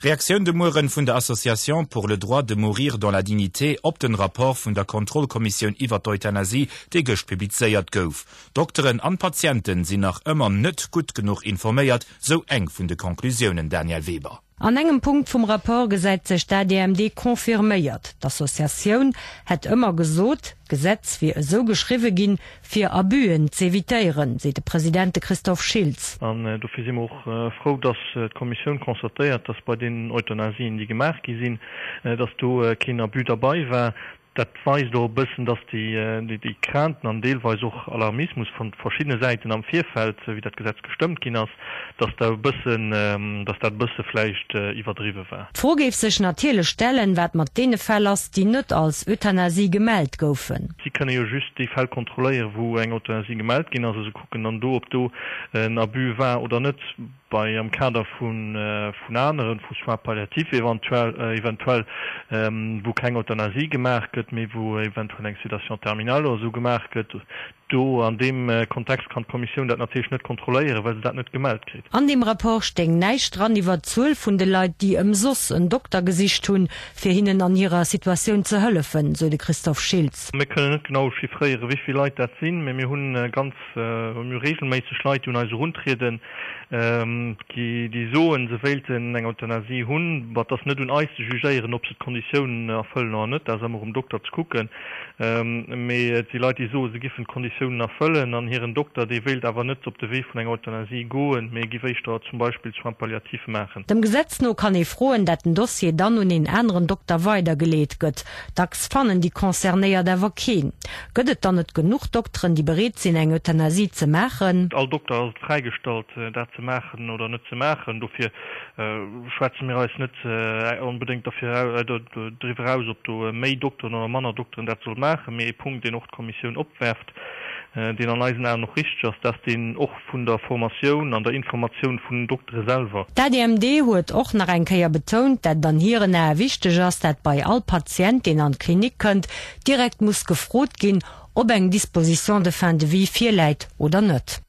Reaktioun de Mueren vun der Association pour le droit de mourir dans la dignité op den Rapport vun der Kontrollkommissioun iwwer d'Euthanasie, dee gëscht publizéiert gouf. Dokteren an Patienten sinn nach ëmmer net gutt genuch informéiert, sou eng vun de Conclusiounen, Danièle Weber. An engem Punkt vum Rapport gesäit sech d'ADMD confirméiert. D'Associatioun hätt ëmmer gesot, d'Gesetz wier esou geschriwwe ginn, fir Abusen z'evitéieren, seet de President de Christophe Schiltz. An dofir si mer och frou, dass d'Kommissioun constatéiert, dass bei deenen Euthanasien, déi gemaach gi sinn, dass do keen Abus derbei war. Dat weist och e bëssen, dass déi Crainten an deelweis och Alarmismus vun verschiddene Säiten am Virfeld, wéi dat Gesetz gestëmmt ginn ass, dass da e bëssen, dass dat e bësse vläicht iwwerdriwwe war. D'Fro géif sech natierlech stellen, wat mat deene Fäll ass, déi net als Euthanasie gemellt goufen. Si kënne jo just déi Fäll kontrolléieren, wou eng Euthanasie gemellt ginn ass, a se kucken dann do, ob do en Abus war oder net. Bei am Kader vun aneren, vu Soins palliatifs eventuell, eventuell, wou keng Euthanasie gemaach gëtt, mee wou eventuell eng Sédation terminale oder esou gemaach gëtt, Do an deem Kontext kann d'Kommissioun dat natierlech net kontrolléieren, well se dat net gemellt kritt. An deem Rapport stéing näischt dran iwwert d'Zuel vun de Leit, déi ëmsoss en Dokter gesicht hunn, fir hinnen an hirer Situatioun ze hëllefen, sou de Christophe Schiltz. Mir kënnen net genau chiffréieren, wéi vill Leit dat sinn, mee mir hunn ganz, mir hu reegelméisseg Leit, déi un eis eruntrieden, déi soen, se wéilten eng Euthanasie hunn. Ma et ass net un eis ze jugéieren, ob se d'Konditiounen erfëllen oder net, dat ass ëmmer um Dokter ze kucken. Mee et si Leit, déi soen, se giffen d'Konditiounen erfëllen an hiren Dokter, dee wéilt awer net op de Wee vun enger Euthanasie goen, mee giff éischter zum Beispill Soins palliatifs maachen. Dem Gesetz no kann ee froen, dat den Dossier dann un een aneren Dokter weidergeleet gëtt. Dacks fannen déi Concernéiert awer keen. Gëtt et dann net genuch Dokteren, déi bereet sinn, eng Euthanasie ze maachen? All Dokter ass et fräigestallt, dat ze maachen oder net ze maachen. Dofir schwätze mir eis net onbedéngt derfir driwwer aus, ob do méi Dokteren oder manner Dokteren dat solle maachen. Mee ee Punkt, deen och d'Kommissioun opwerft, deen an eisen Aen och richteg ass, dat ass deen och vun der Formatioun an der Informatioun vun den Doktere selwer. D'ADMD huet och nach eng Kéier betount, dat et an hiren Ae wichteg ass, dat bei all Patient, deen an d'Klinik kënnt, direkt muss gefrot ginn, ob eng Disposition de fin de vie virläit oder net.